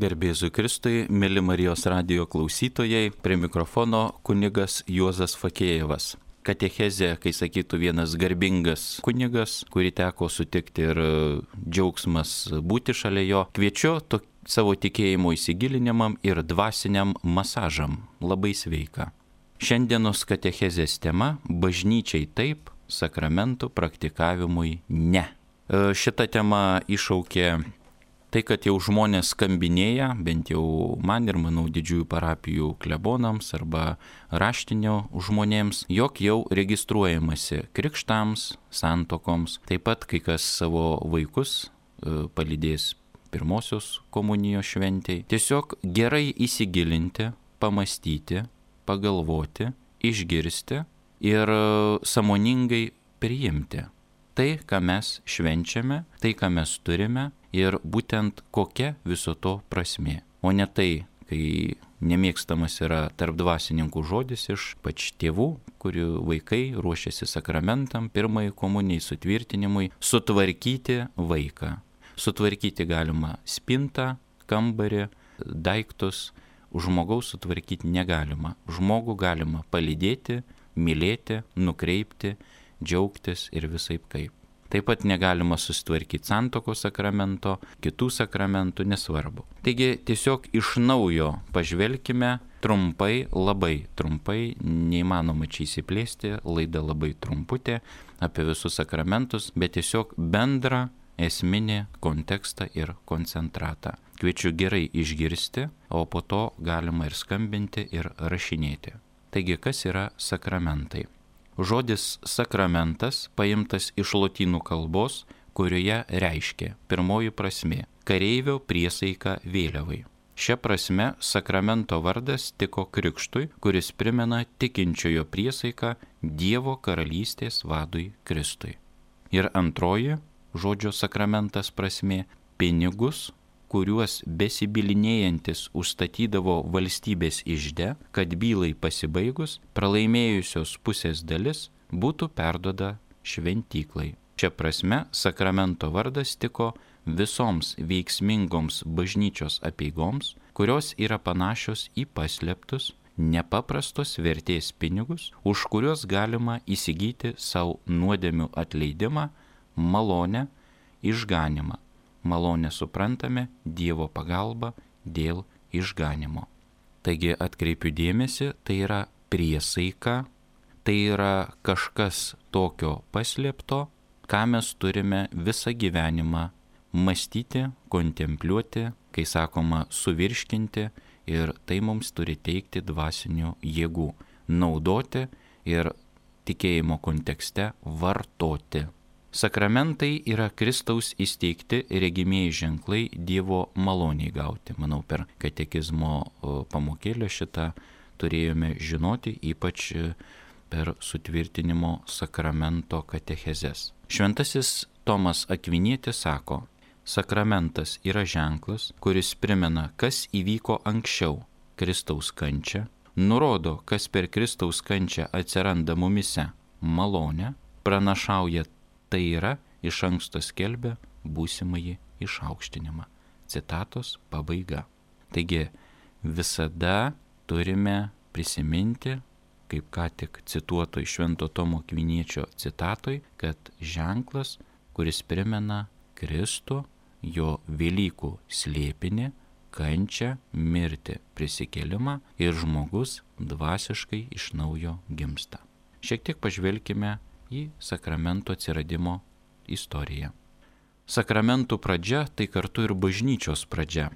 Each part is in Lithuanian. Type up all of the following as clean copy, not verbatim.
Garbėzui Kristui, mėly Marijos radijo klausytojai, prie mikrofono kunigas Juozas Fakėjevas. Katechezė, kai sakytų vienas garbingas kunigas, kurį teko sutikti ir džiaugsmas būti šalia jo, kviečiu savo tikėjimo įsigilinimam ir dvasiniam masažam. Labai sveika. Šiandienos katechezės tema – bažnyčiai taip, sakramentų praktikavimui ne. Šita tema iššaukė tai, kad jau žmonės skambinėja, bent jau man ir manau didžiųjų parapijų klebonams arba raštinio žmonėms, jog jau registruojamasi krikštams, santuokoms, taip pat kai kas savo vaikus palydės pirmosios komunijos šventei. Tiesiog gerai įsigilinti, pamastyti, pagalvoti, išgirsti ir sąmoningai priimti tai, ką mes švenčiame, tai, ką mes turime ir būtent kokia viso to prasmė. O ne tai, kai nemėgstamas yra tarp dvasininkų žodis iš pač tėvų, kurių vaikai ruošiasi sakramentam, pirmai komunijai, sutvirtinimui, sutvarkyti vaiką. Sutvarkyti galima spintą, kambarį, daiktus, žmogaus sutvarkyti negalima. Žmogų galima palydėti, mylėti, nukreipti, džiaugtis ir visaip kaip. Taip pat negalima susitvarkyti santuokos sakramento, kitų sakramentų, nesvarbu. Taigi tiesiog iš naujo pažvelkime trumpai, labai trumpai, neįmanoma čia įsiplėsti, laida labai trumputė apie visus sakramentus, bet tiesiog bendrą esminį kontekstą ir koncentratą. Kviečiu gerai išgirsti, o po to galima ir skambinti ir rašinėti. Taigi, kas yra sakramentai? Žodis sakramentas paimtas iš lotynų kalbos, kurioje reiškia pirmoji prasmė – kareivio priesaika vėliavai. Šia prasme sakramento vardas tiko krikštui, kuris primena tikinčiojo priesaiką Dievo karalystės vadui Kristui. Ir antroji žodžio sakramentas prasmė – pinigus, kuriuos besibylinėjantis užstatydavo valstybės ižde, kad bylai pasibaigus, pralaimėjusios pusės dalis būtų perduoda šventyklai. Šia prasme sakramento vardas tiko visoms veiksmingoms bažnyčios apeigoms, kurios yra panašios į paslėptus, nepaprastos vertės pinigus, už kuriuos galima įsigyti savo nuodėmių atleidimą, malonę, išganimą. Malonę suprantame Dievo pagalba dėl išganimo. Taigi atkreipiu dėmesį, tai yra priesaika, tai yra kažkas tokio paslėpto, ką mes turime visą gyvenimą mąstyti, kontempliuoti, kai sakoma suvirškinti, ir tai mums turi teikti dvasinių jėgų, naudoti ir tikėjimo kontekste vartoti. Sakramentai yra Kristaus įsteigti regimieji ženklai Dievo maloniai gauti. Manau, per katekizmo pamokėlę šitą turėjome žinoti, ypač per sutvirtinimo sakramento katechezes. Šventasis Tomas Akvinietis sako, sakramentas yra ženklas, kuris primena, kas įvyko anksčiau – Kristaus kančią, nurodo, kas per Kristaus kančią atsiranda mumise – malonę, pranašauja tai yra iš anksto skelbia būsimąjį išaukštinimą. Citatos pabaiga. Taigi visada turime prisiminti, kaip ką tik cituoto iš Švento Tomo Akviniečio citatoj, kad ženklas, kuris primena Kristų, jo Velykų slėpinį, kančią, mirtį, prisikėlimą ir žmogus dvasiškai iš naujo gimsta. Šiek tiek pažvelkime į sakramento atsiradimo istoriją. Sakramentų pradžia tai kartu ir bažnyčios pradžia.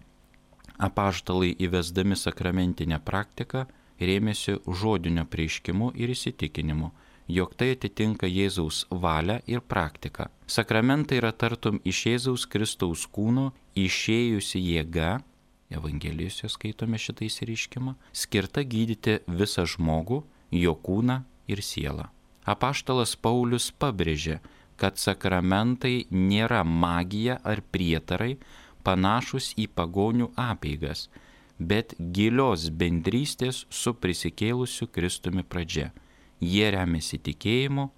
Apaštalai įvesdami sakramentinę praktiką rėmėsi žodinio prieiškimu ir įsitikinimu, jog tai atitinka Jėzaus valią ir praktiką. Sakramentai yra tartum iš Jėzaus Kristaus kūno išėjusi jėga, Evangelijose skaitome šitą įsireiškimą, skirta gydyti visą žmogų, jo kūną ir sielą. Apaštalas Paulius pabrėžė, kad sakramentai nėra magija ar prietarai panašus į pagonių apeigas, bet gilios bendrystės su prisikėlusiu Kristumi pradžia. Jie remiasi tikėjimu,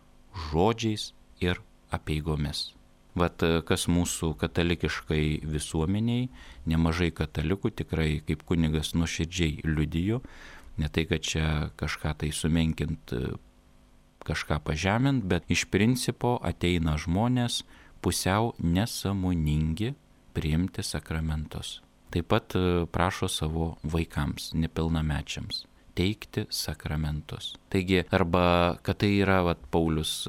žodžiais ir apeigomis. Vat kas mūsų katalikiškai visuomeniai, nemažai katalikų tikrai kaip kunigas nuoširdžiai liudijo, ne tai, kad čia kažką tai sumenkint, kažką pažemint, bet iš principo ateina žmonės pusiau nesąmoningi priimti sakramentus. Taip pat prašo savo vaikams, nepilnamečiams, teikti sakramentus. Taigi, arba kad tai yra, Paulius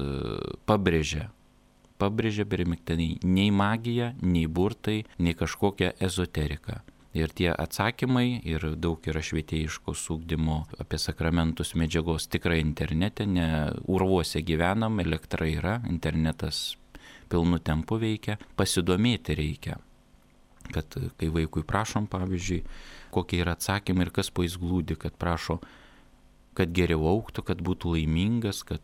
pabrėžia primiktinai, nei magija, nei burtai, nei kažkokia ezoterika. Ir tie atsakymai, ir daug yra švietėjiškos ugdymo apie sakramentus medžiagos tikrai internete, ne urvuose gyvenam, elektra yra, internetas pilnu tempu veikia, pasidomėti reikia. Kad kai vaikui prašom, pavyzdžiui, kokie yra atsakymai ir kas po jais glūdi, kad prašo, kad geriau augtų, kad būtų laimingas, kad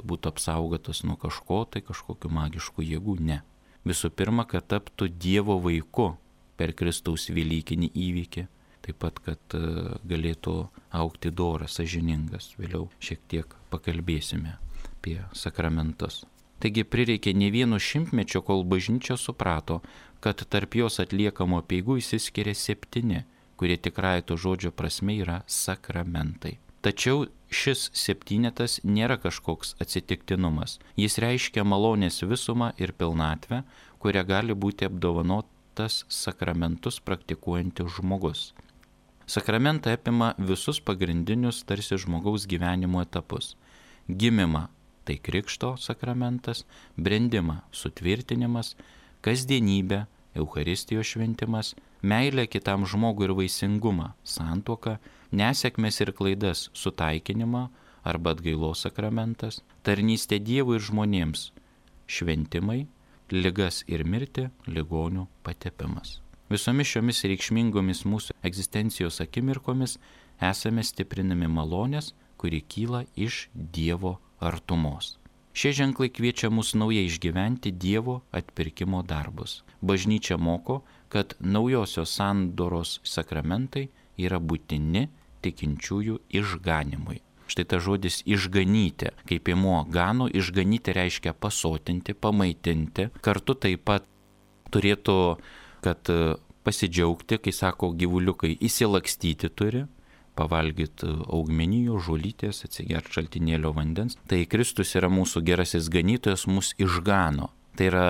būtų apsaugotas nuo kažko, tai kažkokių magiškų jėgų, ne. Visų pirma, kad taptų Dievo vaiku per Kristaus velykinį įvykį, taip pat, kad galėtų augti doras, sąžiningas. Vėliau šiek tiek pakalbėsime apie sakramentus. Taigi prireikė ne vieno šimtmečio, kol bažnyčia suprato, kad tarp jos atliekamų apeigų išsiskiria 7, kurie tikrąja to žodžio prasme yra sakramentai. Tačiau šis 7 nėra kažkoks atsitiktinumas. Jis reiškia malonės visumą ir pilnatvę, kuria gali būti apdovanotas sakramentus praktikuojantis žmogus. Sakramentai apima visus pagrindinius tarsi žmogaus gyvenimo etapus. Gimimą – tai krikšto sakramentas, brendimą – sutvirtinimas, kasdienybę – Eucharistijos šventimas, meilę kitam žmogui ir vaisingumą – santuoka, nesėkmes ir klaidas – sutaikinimą arba atgailos sakramentas, tarnystė Dievui ir žmonėms – šventimai, ligas ir mirtį – ligonių patepimas. Visomis šiomis reikšmingomis mūsų egzistencijos akimirkomis esame stiprinami malonės, kuri kyla iš Dievo artumos. Šie ženklai kviečia mus naujai išgyventi Dievo atpirkimo darbus. Bažnyčia moko, kad naujosios sandoros sakramentai yra būtini tikinčiųjų išganimui. Štai ta žodis išganyti, kaip įmuo gano, išganyti reiškia pasotinti, pamaitinti. Kartu taip pat turėtų, kad pasidžiaugti, kai sako gyvuliukai, įsilakstyti turi, pavalgyti augmenijų, žolytės, atsigerti šaltinėlio vandens. Tai Kristus yra mūsų gerasis ganytojas, mus išgano. Tai yra,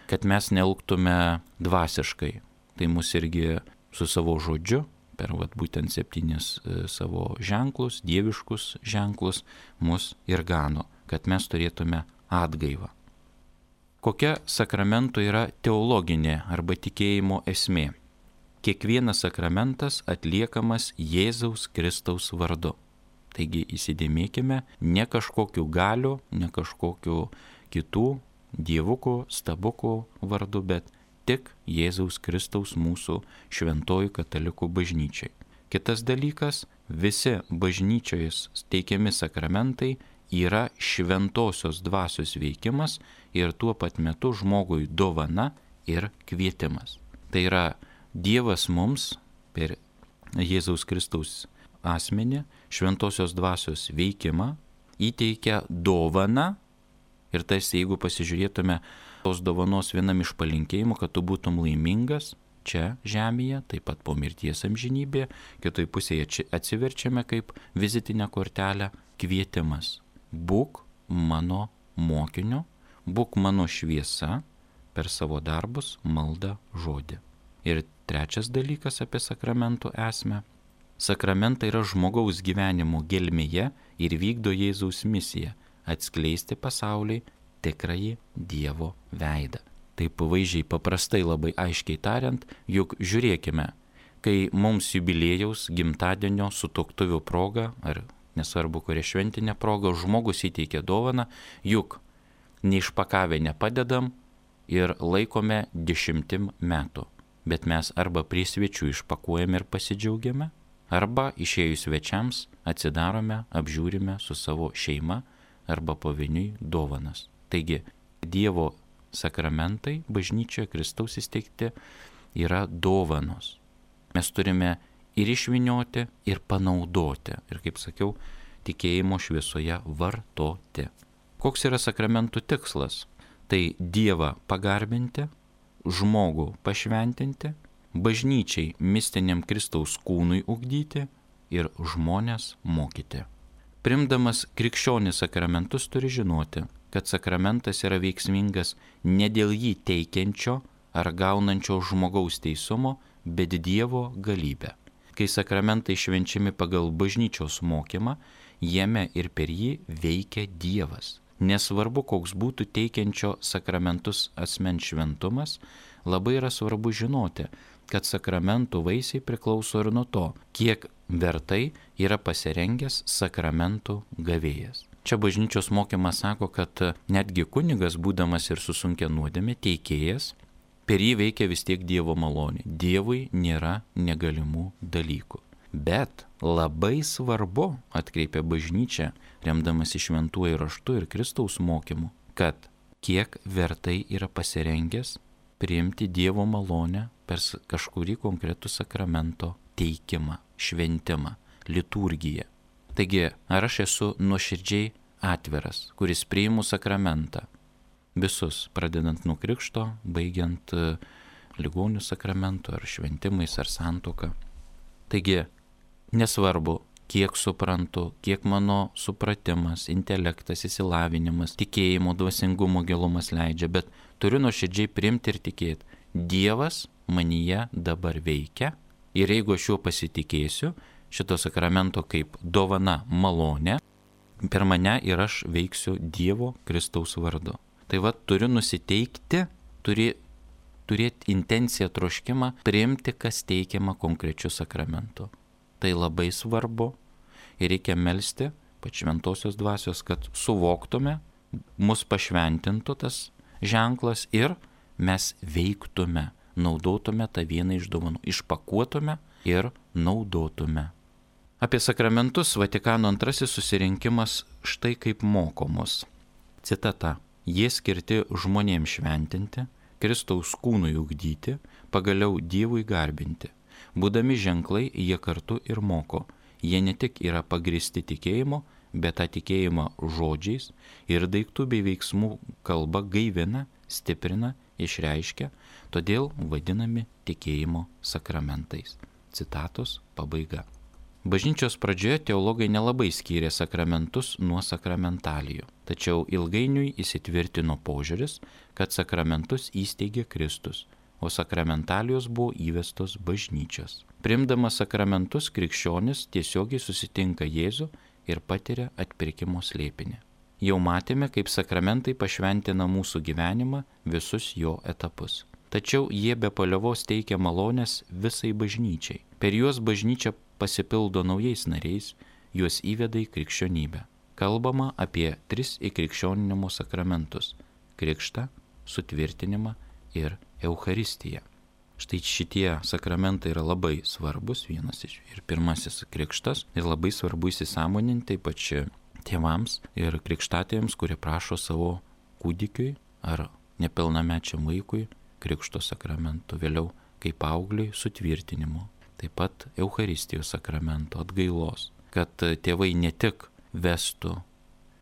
kad mes neelgtume dvasiškai. Tai mus irgi su savo žodžiu, per būtent 7 savo ženklus, dieviškus ženklus, mus ir gano, kad mes turėtume atgaivą. Kokia sakramento yra teologinė arba tikėjimo esmė? Kiekvienas sakramentas atliekamas Jėzaus Kristaus vardu. Taigi įsidėmėkime, ne kažkokiu galiu, ne kažkokiu kitų dievukų, stabukų vardu, bet tik Jėzaus Kristaus mūsų šventojų katalikų bažnyčiai. Kitas dalykas, visi bažnyčioje teikiami sakramentai yra šventosios dvasios veikimas ir tuo pat metu žmogui dovana ir kvietimas. Tai yra Dievas mums per Jėzaus Kristaus asmenį šventosios dvasios veikimą įteikia dovaną ir tarsi jeigu pasižiūrėtume tos dovanos vienam iš palinkėjimų, kad tu būtum laimingas čia žemėje, taip pat po mirties amžinybėje, kitoj pusėje atsiverčiame kaip vizitinę kortelę kvietimas. Būk mano mokiniu, būk mano šviesa per savo darbus, maldą, žodį. Ir trečias dalykas apie sakramentų esmę. Sakramentai yra žmogaus gyvenimo gelmėje ir vykdo Jėzaus misiją – atskleisti pasauliai tikrąjį Dievo veidą. Taip vaizdžiai paprastai labai aiškiai tariant, juk žiūrėkime, kai mums jubiliejaus, gimtadienio, sutuoktuvių proga, ar nesvarbu kuria šventinė proga, žmogus įteikia dovaną, juk neišpakavę nepadedam ir laikome 10 metų. Bet mes arba prie svečių išpakuojame ir pasidžiaugiame, arba išėjus svečiams atsidarome, apžiūrime su savo šeima arba pavieniui dovanas. Taigi, Dievo sakramentai bažnyčioje Kristaus įsteigti yra dovanos. Mes turime ir išvynioti, ir panaudoti. Ir kaip sakiau, tikėjimo šviesoje vartoti. Koks yra sakramentų tikslas? Tai Dievą pagarbinti, žmogų pašventinti, bažnyčiai mistiniam Kristaus kūnui ugdyti ir žmonės mokyti. Priimdamas krikščionis sakramentus turi žinoti, kad sakramentas yra veiksmingas ne dėl jį teikiančio ar gaunančio žmogaus teisumo, bet Dievo galybę. Kai sakramentai švenčiami pagal bažnyčios mokymą, jame ir per jį veikia Dievas. Nesvarbu, koks būtų teikiančio sakramentus asmens šventumas, labai yra svarbu žinoti, kad sakramentų vaisiai priklauso ir nuo to, kiek vertai yra pasirengęs sakramentų gavėjas. Čia bažnyčios mokymas sako, kad netgi kunigas, būdamas ir su sunkia nuodėme, teikėjas, per jį veikia vis tiek Dievo malonė. Dievui nėra negalimų dalykų. Bet labai svarbu, atkreipia bažnyčia, remdamasi šventuoju raštu ir Kristaus mokymu, kad kiek vertai yra pasirengęs priimti Dievo malonę per kažkurį konkretų sakramento teikimą, šventimą, liturgiją. Taigi, ar aš esu nuoširdžiai atviras, kuris priimu sakramentą, visus, pradedant nuo krikšto, baigiant ligonių sakramentų ar šventimais ar santuoka. Taigi, nesvarbu, kiek suprantu, kiek mano supratimas, intelektas, išsilavinimas, tikėjimo, dvasingumo gilumas leidžia, bet turiu nuoširdžiai priimti ir tikėti. Dievas manyje dabar veikia ir jeigu aš juo pasitikėsiu, šito sakramento kaip dovana malonė, per mane ir aš veiksiu Dievo Kristaus vardu. Tai va, turiu nusiteikti, turėti intenciją, troškimą, priimti, kas teikiama konkrečiu sakramentu. Tai labai svarbu ir reikia melsti pač šventosios dvasios, kad suvoktume, mus pašventintų tas ženklas ir mes veiktume, naudotume tą vieną iš dovanų, išpakuotume ir naudotume. Apie sakramentus Vatikano II susirinkimas štai kaip moko mus. Citata. Jie skirti žmonėms šventinti, Kristaus kūnui ugdyti, pagaliau Dievui garbinti. Būdami ženklai, jie kartu ir moko. Jie ne tik yra pagristi tikėjimo, bet tą tikėjimą žodžiais ir daiktų bei veiksmų kalba gaivina, stiprina, išreiškia, todėl vadinami tikėjimo sakramentais. Citatos pabaiga. Bažnyčios pradžioje teologai nelabai skyrė sakramentus nuo sakramentalijų, tačiau ilgainiui įsitvirtino požiūris, kad sakramentus įsteigė Kristus, o sakramentalijos buvo įvestos bažnyčios. Priimdamas sakramentus, krikščionis tiesiogiai susitinka Jėzų ir patiria atpirkimo slėpinį. Jau matėme, kaip sakramentai pašventina mūsų gyvenimą visus jo etapus. Tačiau jie be paliovos teikia malonės visai bažnyčiai. Per juos bažnyčia pasipildo naujais nariais, juos įveda į krikščionybę. Kalbama apie 3 įkrikščioninimo sakramentus – krikštą, sutvirtinimą ir Eucharistiją. Štai šitie sakramentai yra labai svarbus, vienas iš ir pirmasis krikštas, ir labai svarbu įsisąmoninti ypač tėvams ir krikštatėms, kurie prašo savo kūdikiui ar nepilnamečiam vaikui krikšto sakramentų, vėliau kaip paaugliui sutvirtinimo. Taip pat Eucharistijos sakramento atgailos, kad tėvai ne tik vestų,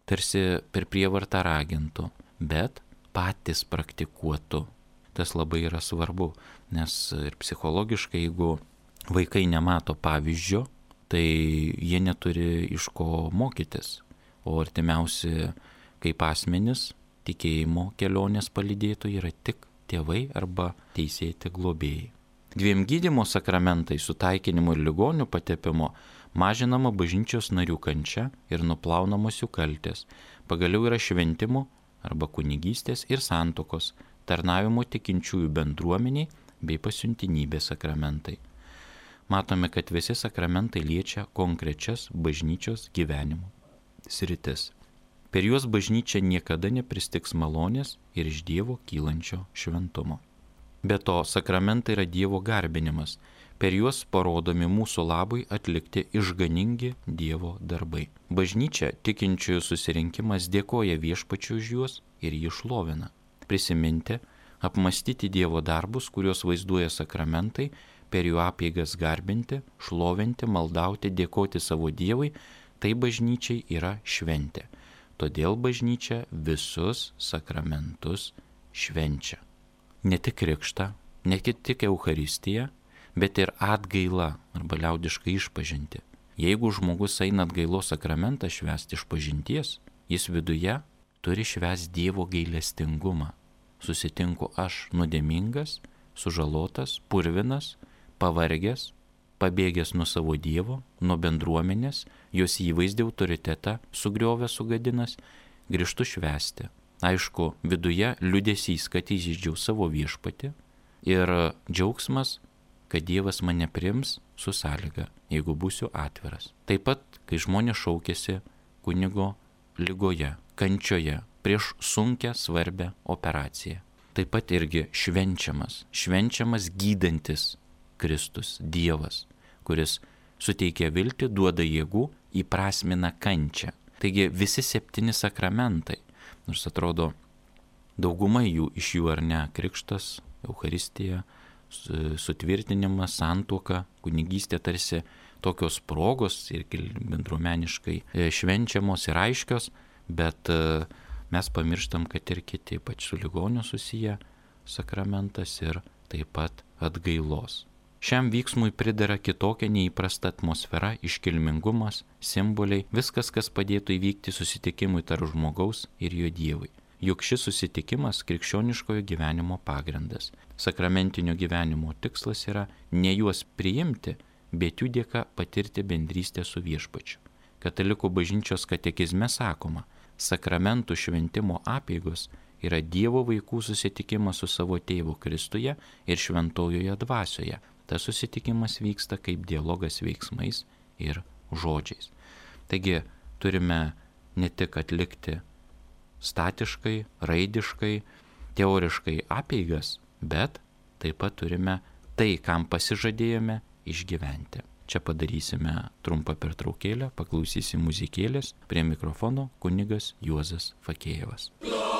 tarsi per prievartą ragintų, bet patys praktikuotų. Tas labai yra svarbu, nes ir psichologiškai, jeigu vaikai nemato pavyzdžio, tai jie neturi iš ko mokytis. O artimiausi kaip asmenys tikėjimo kelionės palydėtojai yra tik tėvai arba teisėti globėjai. 2 gydymo sakramentai sutaikinimu ir ligonių patepimo mažinama bažnyčios narių kančia ir nuplaunamos jų kaltės. Pagaliau yra šventimo arba kunigystės ir santuokos, tarnavimo tikinčiųjų bendruomeniai bei pasiuntinybės sakramentai. Matome, kad visi sakramentai liečia konkrečias bažnyčios gyvenimo sritis. Per juos bažnyčia niekada nepristigs malonės ir iš Dievo kylančio šventumo. Be to, sakramentai yra Dievo garbinimas. Per juos parodomi mūsų labui atlikti išganingi Dievo darbai. Bažnyčia, tikinčiųjų susirinkimas, dėkoja Viešpačiui už juos ir jį šlovina. Prisiminti, apmastyti Dievo darbus, kuriuos vaizduoja sakramentai, per jų apeigas garbinti, šlovinti, maldauti, dėkoti savo Dievui, tai bažnyčiai yra šventė. todėl bažnyčia visus sakramentus švenčia. Ne tik krikštą, ne tik Eucharistiją, bet ir atgailą arba liaudiškai išpažintį. Jeigu žmogus eina atgailos sakramentą švęsti išpažinties, jis viduje turi švęsti Dievo gailestingumą. Susitinku aš nuodėmingas, sužalotas, purvinas, pavargęs, pabėgęs nuo savo Dievo, nuo bendruomenės, jos įvaizdį autoritetą sugriovęs, sugadinęs, grįžtu švęsti. Aišku, viduje liūdesys, kad įžeidžiau savo viešpatį ir džiaugsmas, kad Dievas mane priims su sąlyga, jeigu būsiu atviras. Taip pat, kai žmonės šaukėsi kunigo ligoje, kančioje, prieš sunkią, svarbią operaciją. Taip pat irgi švenčiamas gydantis Kristus, Dievas, kuris suteikia viltį, duoda jėgų, įprasmina kančią. Taigi visi 7 sakramentai, nors atrodo dauguma iš jų ar ne, krikštas, Eucharistija, sutvirtinimas, santuoka, kunigystė tarsi tokios progos ir bendruomeniškai švenčiamos ir aiškios, bet mes pamirštam, kad ir kiti, ypač su ligoniu susiję sakramentas ir taip pat atgailos. Šiam vyksmui pridera kitokia neįprasta atmosfera, iškilmingumas, simboliai, viskas, kas padėtų įvykti susitikimui tarp žmogaus ir jo Dievui. Juk šis susitikimas krikščioniškojo gyvenimo pagrindas. Sakramentinio gyvenimo tikslas yra ne juos priimti, bet jų dėka patirti bendrystę su viešpačiu. Katalikų bažnyčios katekizme sakoma, sakramentų šventimo apeigos yra Dievo vaikų susitikimas su savo tėvu Kristuje ir šventojoje dvasioje. Tas susitikimas vyksta kaip dialogas veiksmais ir žodžiais. Taigi turime ne tik atlikti statiškai, raidiškai, teoriškai apeigas, bet taip pat turime tai, kam pasižadėjome, išgyventi. Čia padarysime trumpą pertraukėlę, paklausysim muzikėlės, prie mikrofono kunigas Juozas Fakėjevas. Gloria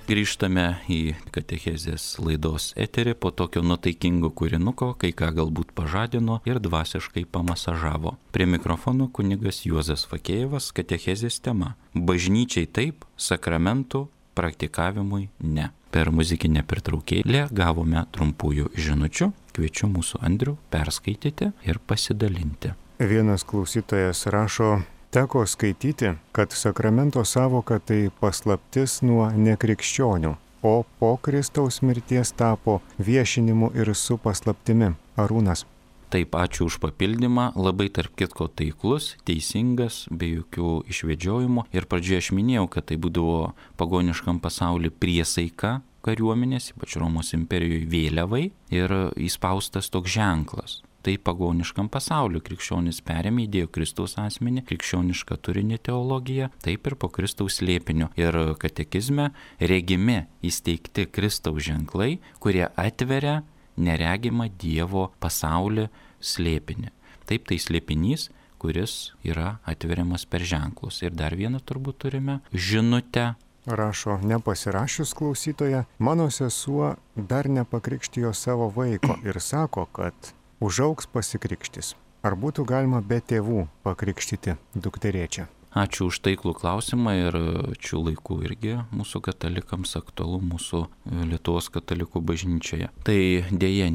Grįžtame į katechezės laidos eterį po tokio nuotaikingo kūrinuko, kai ką galbūt pažadino ir dvasiškai pamasažavo. Prie mikrofono kunigas Juozas Fakėjevas, katechezės tema – bažnyčiai taip, sakramentų praktikavimui ne. Per muzikinę pertraukėlę gavome trumpųjų žinučių, kviečiu mūsų Andrių perskaityti ir pasidalinti. Vienas klausytojas rašo: teko skaityti, kad sakramento sąvoka tai paslaptis nuo nekrikščionių, o po Kristaus mirties tapo viešinimu ir su paslaptimi. Arūnas. Taip, ačiū už papildymą, labai tarp kitko taiklus, teisingas, be jokių išvedžiojimų. Ir pradžioje aš minėjau, kad tai būdavo pagoniškam pasauliu priesaika kariuomenės, ypač Romos imperijoje vėliavai, ir įspaustas toks ženklas. Tai pagoniškam pasauliu krikščionis perėmė, įdėjo Kristaus asmenį, krikščionišką turinį teologiją, taip ir po Kristaus slėpiniu. Ir katekizme regimi įsteigti Kristaus ženklai, kurie atveria neregimą Dievo pasaulį slėpinį. Taip, tai slėpinys, kuris yra atveriamas per ženklus. Ir dar vieną turbūt turime žinutę. Rašo nepasirašius klausytoja: mano sesuo dar nepakrikštijo savo vaiko ir sako, kad užaugs pasikrikštis. Ar būtų galima be tėvų pakrikštyti dukterėčią? Ačiū už taiklų klausimą ir šių laikų irgi mūsų katalikams aktualu mūsų Lietuvos katalikų bažnyčioje. Tai dėja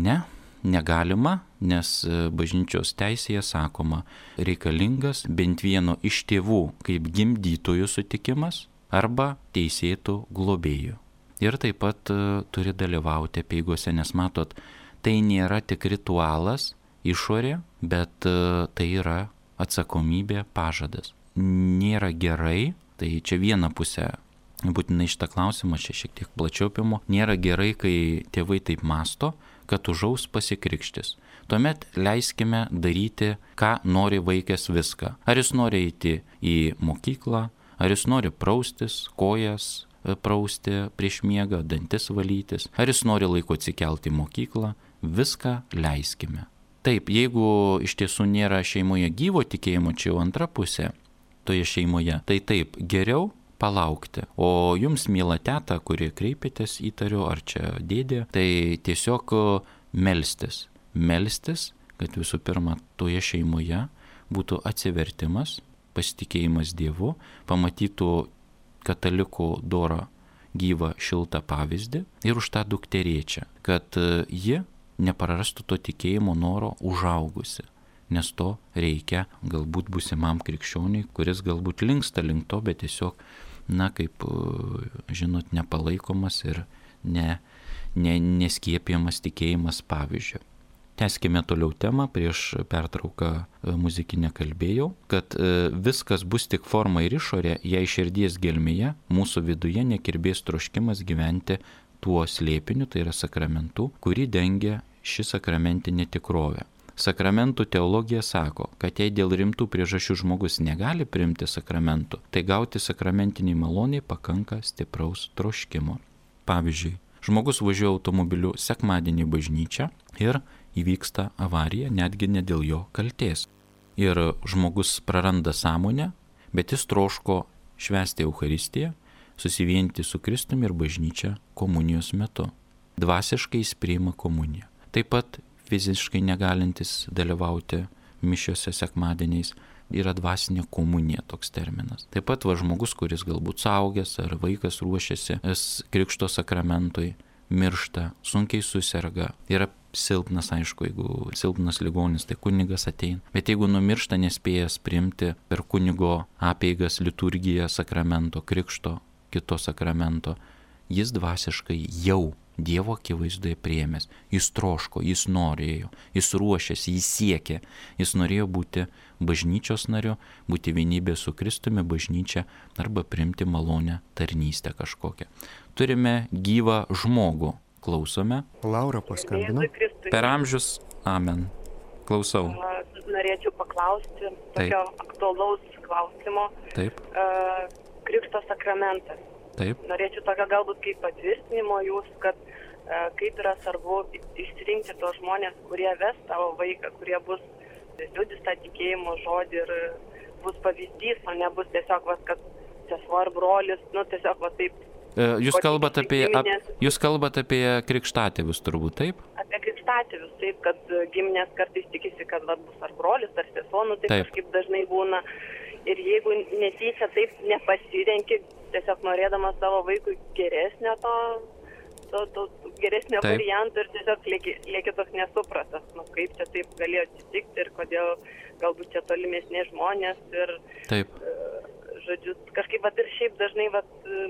negalima, nes bažnyčios teisėje sakoma, reikalingas bent vieno iš tėvų kaip gimdytojų sutikimas arba teisėtų globėjų. Ir taip pat turi dalyvauti apeigose, nes matot, tai nėra tik ritualas išorė, bet tai yra atsakomybė, pažadas. Nėra gerai, tai čia viena pusė, būtinai šitą klausimą čia šiek tiek plačiau apimu, nėra gerai, kai tėvai taip masto, kad užaus pasikrikštis. Tuomet leiskime daryti, ką nori vaikas viską. Ar jis nori eiti į mokyklą, ar jis nori praustis, kojas prausti prieš miegą, dantis valytis, ar jis nori laiku atsikelti į mokyklą, viską leiskime. Taip, jeigu iš tiesų nėra šeimoje gyvo tikėjimo, čia jau antra pusė toje šeimoje, tai taip, geriau palaukti. O jums, miela teta, kuri kreipėtės, įtariu, ar čia dėdė, tai tiesiog melstis, kad visų pirma toje šeimoje būtų atsivertimas, pasitikėjimas Dievu, pamatytų katalikų dorą gyvą šiltą pavyzdį ir už tą dukterėčią, kad ji neprarastų to tikėjimo noro užaugusi, nes to reikia galbūt būsimam krikščioniui, kuris galbūt linksta link to, bet tiesiog, kaip žinot, nepalaikomas ir neskiepiamas tikėjimas pavyzdžio. Tęskime toliau temą, prieš pertrauką muzikinę kalbėjau, kad viskas bus tik forma ir išorė, jei širdies gelmėje mūsų viduje nekirbės troškimas gyventi tuo slėpiniu, tai yra sakramentu, kurį dengia ši sakramentinė tikrovė. Sakramentų teologija sako, kad jei dėl rimtų priežasčių žmogus negali priimti sakramentų, tai gauti sakramentiniai maloniai pakanka stipraus troškimo. Pavyzdžiui, žmogus važiuoja automobiliu sekmadienį į bažnyčią ir įvyksta avarija, netgi ne dėl jo kaltės. Ir žmogus praranda sąmonę, bet jis troško švęsti Eucharistiją, susivienyti su Kristumi ir bažnyčia komunijos metu. Dvasiškai jis priima komuniją. Taip pat fiziškai negalintis dalyvauti mišiose sekmadieniais yra dvasinė komunija, toks terminas. Taip pat žmogus, kuris galbūt suaugęs ar vaikas ruošiasi krikšto sakramentui, miršta, sunkiai suserga, yra silpnas, aišku, jeigu silpnas ligonis, tai kunigas ateina. Bet jeigu numiršta nespėjęs priimti per kunigo apeigas, liturgiją, sakramento, krikšto, kito sakramento, jis dvasiškai jau Dievo akivaizdoje priėmęs. Jis troško, jis norėjo, jis ruošėsi, jis siekė. Jis norėjo būti bažnyčios nariu, būti vienybė su Kristumi, bažnyčia arba priimti malonę tarnystę kažkokią. Turime gyvą žmogų. Klausome. Laura paskambino. Per amžius. Amen. Klausau. Norėčiau paklausti tokio aktualaus klausimo. Taip. Krikšto sakramentas. Taip. Norėčiau tokio galbūt kaip patvirtinimo jūs, kad kaip yra svarbu išsirinkti tos žmonės, kurie ves tavo vaiką, kurie bus liudys tą tikėjimo žodį ir bus pavyzdys, o nebus tiesiog, kad sesuo ar brolis, tiesiog taip Jūs kalbate giminės... apie krikštatėvius turbūt, taip? Apie krikštatėvius, taip, kad giminės kartais tikisi, kad bus ar brolis, ar sesuo, tai taip. Kažkaip dažnai būna. Ir jeigu netyčia taip nepasirenki, tiesiog norėdamas savo vaikui geresnio geresnio taip. varianto ir tiesiog lieki toks nesupratas, kaip čia taip galėjo atsitikti ir kodėl galbūt čia tolimesni žmonės ir... Taip. Žodžiu, kažkaip ir šiaip dažnai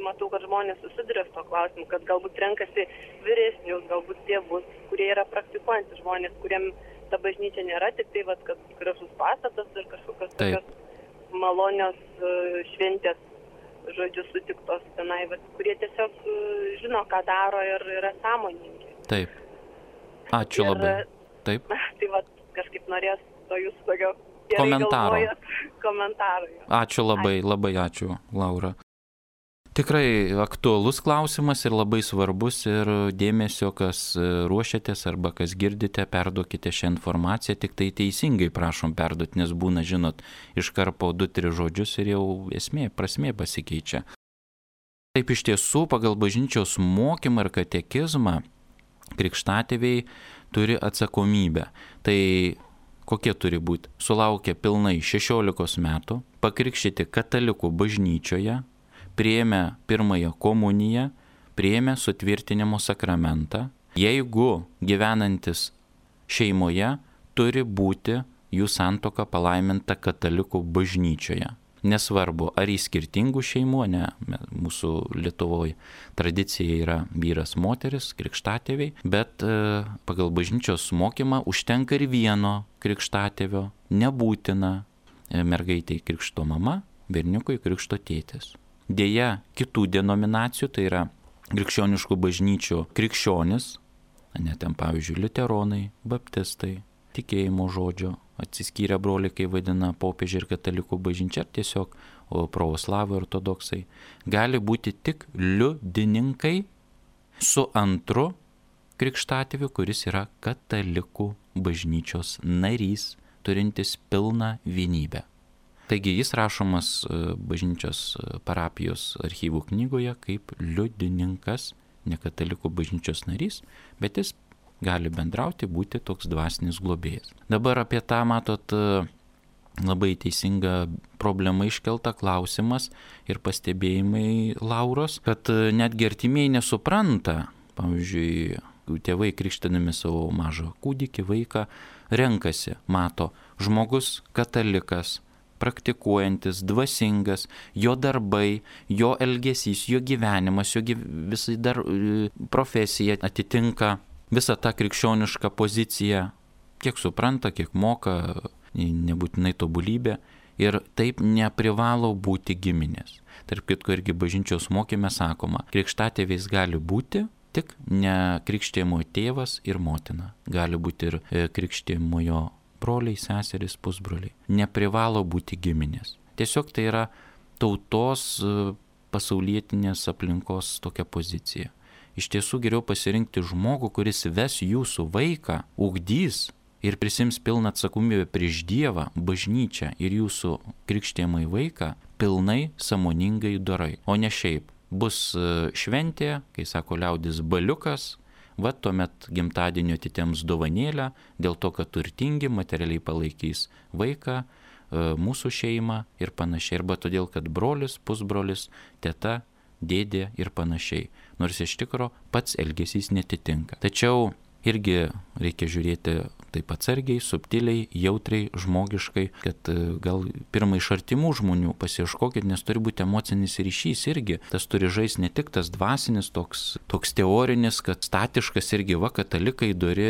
matau, kad žmonės susiduria su to klausimu, kad galbūt renkasi vyresnius, galbūt tėvus, kurie yra praktikuojantys žmonės, kuriem ta bažnyčia nėra tik tai, kad gražus pastatas ir kažkokios tokios malonios šventės, žodžiu, sutiktos tenai, kurie tiesiog žino, ką daro ir yra sąmoningi. Taip. Ačiū labai. Taip. Tai kažkaip norės to jūsų tokio komentaro. Ačiū labai, labai ačiū, Laura. Tikrai aktualus klausimas ir labai svarbus ir dėmesio, kas ruošiatės arba kas girdite, perduokite šią informaciją, tik tai teisingai prašom perduoti, nes būna, žinot, iškarpo 2-3 žodžius ir jau prasmė pasikeičia. Taip iš tiesų, pagal bažnyčios mokymą ir katekizmą, krikštatėviai turi atsakomybę. Tai kokie turi būti? Sulaukę pilnai 16 metų, pakrikštyti katalikų bažnyčioje, priėmę pirmąją komuniją, priėmę sutvirtinimo sakramentą. Jeigu gyvenantis šeimoje, turi būti jų santuoka palaiminta katalikų bažnyčioje. Nesvarbu, ar į skirtingų šeimų, ne, mūsų Lietuvoje tradicija yra vyras, moteris, krikštatėviai, bet pagal bažnyčios mokymą užtenka ir vieno krikštatėvio, nebūtina mergaitei krikšto mama, berniukui krikšto tėtis. Deja, kitų denominacijų, tai yra krikščioniškų bažnyčių krikščionis, ne ten pavyzdžiui liuteronai, baptistai, tikėjimo žodžio, atsiskyrę broliai, kai vadina popiežiai ir katalikų bažnyčia, ar tiesiog pravoslavai ortodoksai, gali būti tik liudininkai su antru krikštatėviu, kuris yra katalikų bažnyčios narys, turintis pilną vienybę. Taigi jis rašomas bažnyčios parapijos archyvų knygoje kaip liudininkas, ne katalikų bažnyčios narys, bet jis gali bendrauti, būti toks dvasinis globėjas. Dabar apie tą, matot, labai teisinga problema iškelta, klausimas ir pastebėjimai Lauros, kad netgi artimieji nesupranta, pavyzdžiui, tėvai krikštydami savo mažą kūdikį, vaiką, renkasi, mato, žmogus katalikas, praktikuojantis, dvasingas, jo darbai, jo elgesys, jo gyvenimas, jo visai dar profesija atitinka visą tą krikščionišką poziciją, kiek supranta, kiek moka, nebūtinai tobulybė, ir taip neprivalo būti giminės. Tarp kitko irgi bažnyčios mokyme sakoma, krikštatėviais gali būti tik ne krikštijimo tėvas ir motina. Gali būti ir krikštijimojo broliai, seserys, pusbroliai. Neprivalo būti giminės. Tiesiog tai yra tautos pasaulietinės aplinkos tokia pozicija. Iš tiesų geriau pasirinkti žmogų, kuris ves jūsų vaiką, ugdys ir prisims pilną atsakomybę prieš Dievą, bažnyčią ir jūsų krikštijamąjį vaiką pilnai, sąmoningai dorai. O ne šiaip. Bus šventė, kai sako liaudis, baliukas, tuomet gimtadienio atitems dovanėlę, dėl to, kad turtingi materialiai palaikys vaiką, mūsų šeimą ir panašiai. Arba todėl, kad brolis, pusbrolis, teta, dėdė ir panašiai. Nors iš tikro pats elgesys netitinka. Tačiau irgi reikia žiūrėti taip atsargiai, subtiliai, jautriai, žmogiškai, kad gal pirmai iš artimų žmonių pasiieškokit, nes turi būti emocinis ryšys irgi. Tas turi žaisti ne tik tas dvasinis, toks teorinis, kad statiškas irgi katalikai dori,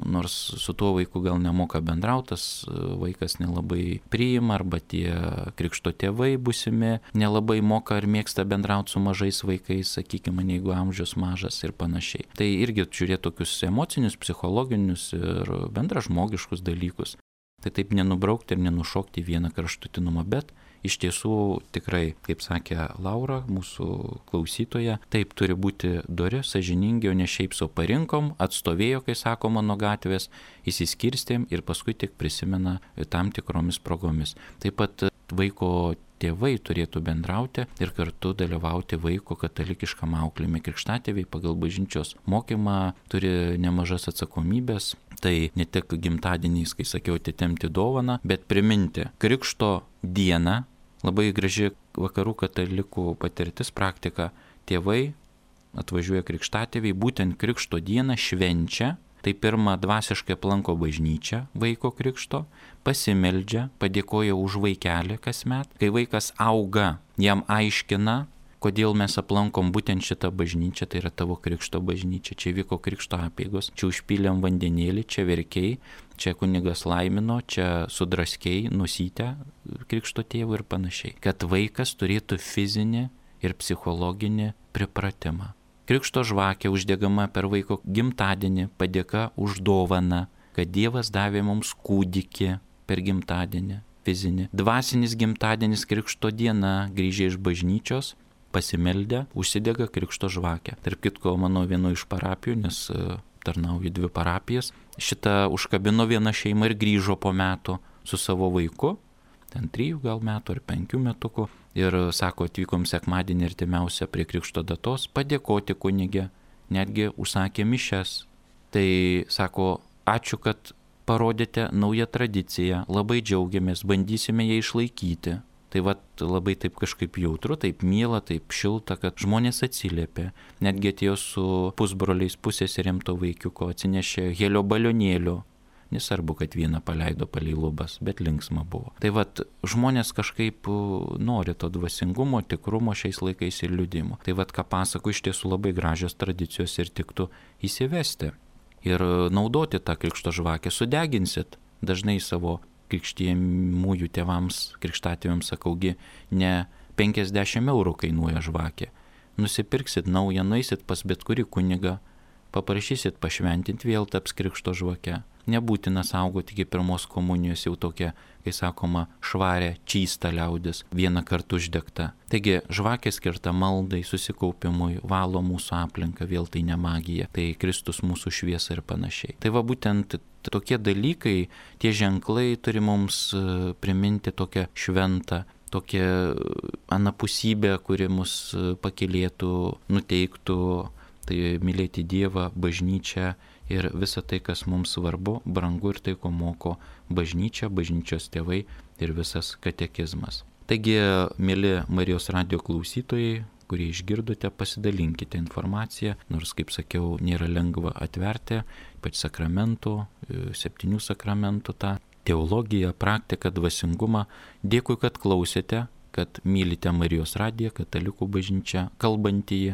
nors su tuo vaiku gal nemoka bendrautas, vaikas nelabai priima, arba tie krikšto tėvai būsimi nelabai moka ar mėgsta bendrauti su mažais vaikais, sakykime, jeigu amžius mažas ir panašiai. Tai irgi žiūrėti tokius emocinius, psichologinius ir bendražmogiškus dalykus. Tai taip nenubraukti ir nenušokti vieną kraštutinumą, bet iš tiesų tikrai, kaip sakė Laura, mūsų klausytoja, taip turi būti dori, sąžiningi, o ne šiaip sau parinkom, atstovėjo, kai sakoma, nuo gatvės, įsiskirstėm ir paskui tik prisimena tam tikromis progomis. Taip pat vaiko tėvai turėtų bendrauti ir kartu dalyvauti vaiko katalikiškam auklėjime. Krikštatėviai pagal bažnyčios mokymą turi nemažas atsakomybės. Tai ne tik gimtadieniais, kai sakiau, atitemti dovaną, bet priminti krikšto dieną. Labai graži vakarų katalikų patirtis, praktika. Tėvai atvažiuoja krikštatėviai, būtent krikšto dieną švenčia. Tai pirmą dvasiškai aplanko bažnyčią vaiko krikšto, pasimeldžia, padėkoja už vaikelį kasmet. Kai vaikas auga, jam aiškina, kodėl mes aplankom būtent šitą bažnyčią, tai yra tavo krikšto bažnyčia. Čia vyko krikšto apeigos, čia užpylėm vandenėlį, čia verkiai, čia kunigas laimino, čia sudraskiai, nusytę krikšto tėvų ir panašiai. Kad vaikas turėtų fizinį ir psichologinį pripratimą. Krikšto žvakė uždegama per vaiko gimtadienį, padėka už dovaną, kad Dievas davė mums kūdikį per gimtadienį fizinį. Dvasinis gimtadienis krikšto diena, grįžę iš bažnyčios, pasimeldę, užsidega krikšto žvakę. Tarp kitko, mano vieno iš parapijų, nes tarnauju 2 parapijas, šitą užkabino viena šeima ir grįžo po metų su savo vaiku, ten 3 gal metų ar 5 metukų. Ir sako, atvykom sekmadienį artimiausią prie krikšto datos, padėkoti kunigė, netgi užsakė mišias. Tai sako, ačiū, kad parodėte naują tradiciją, labai džiaugiamės, bandysime ją išlaikyti. Tai labai taip kažkaip jautru, taip miela, taip šilta, kad žmonės atsiliepė. Netgi atėjo su pusbroliais, pusseserėm to vaikiuko, atsinešė helio balionėlių. Nesvarbu, kad vieną paleido palei lubas, bet linksma buvo. Tai žmonės kažkaip nori to dvasingumo, tikrumo šiais laikais ir liudimo. Tai ką pasako, iš tiesų labai gražios tradicijos ir tiktų įsivesti. Ir naudoti tą krikšto žvakę. Sudeginsit dažnai savo krikštijamųjų tėvams, krikštatėviams sakaugi, ne 50 eurų kainuoja žvakė. Nusipirksit naują, nueisit pas bet kurį kunigą, paprašysit pašventinti, vėl taps krikšto žvake. Nebūtina saugoti iki pirmos komunijos jau tokia, kai sakoma, švarę, čystą liaudis, vieną kartą uždegta. Taigi žvakė skirta maldai, susikaupimui, valo mūsų aplinką, vėl tai ne magija, tai Kristus mūsų šviesa ir panašiai. Tai būtent tokie dalykai, tie ženklai turi mums priminti tokią šventą, tokią anapusybę, kuri mus pakylėtų, nuteiktų, tai mylėti Dievą, bažnyčią ir visą tai, kas mums svarbu, brangu ir tai, ko moko bažnyčia, bažnyčios tėvai ir visas katekizmas. Taigi, mėly Marijos radijo klausytojai, kurie išgirdote, pasidalinkite informaciją, nors, kaip sakiau, nėra lengva atverti, ypač sakramentų, 7 sakramentų tą teologiją, praktiką, dvasingumą. Dėkui, kad klausėte, kad mylite Marijos radiją, katalikų bažnyčią, kalbantįjį,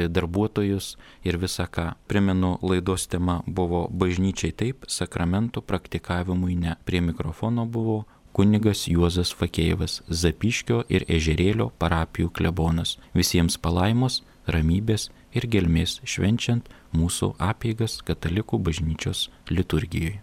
darbuotojus ir visą ką. Primenu, laidos tema buvo bažnyčiai taip, sakramentų praktikavimui ne. Prie mikrofono buvo kunigas Juozas Fakėjevas, Zapyškio ir Ežerėlio parapijų klebonas. Visiems palaimos, ramybės ir gelmės švenčiant mūsų apeigas katalikų bažnyčios liturgijoje.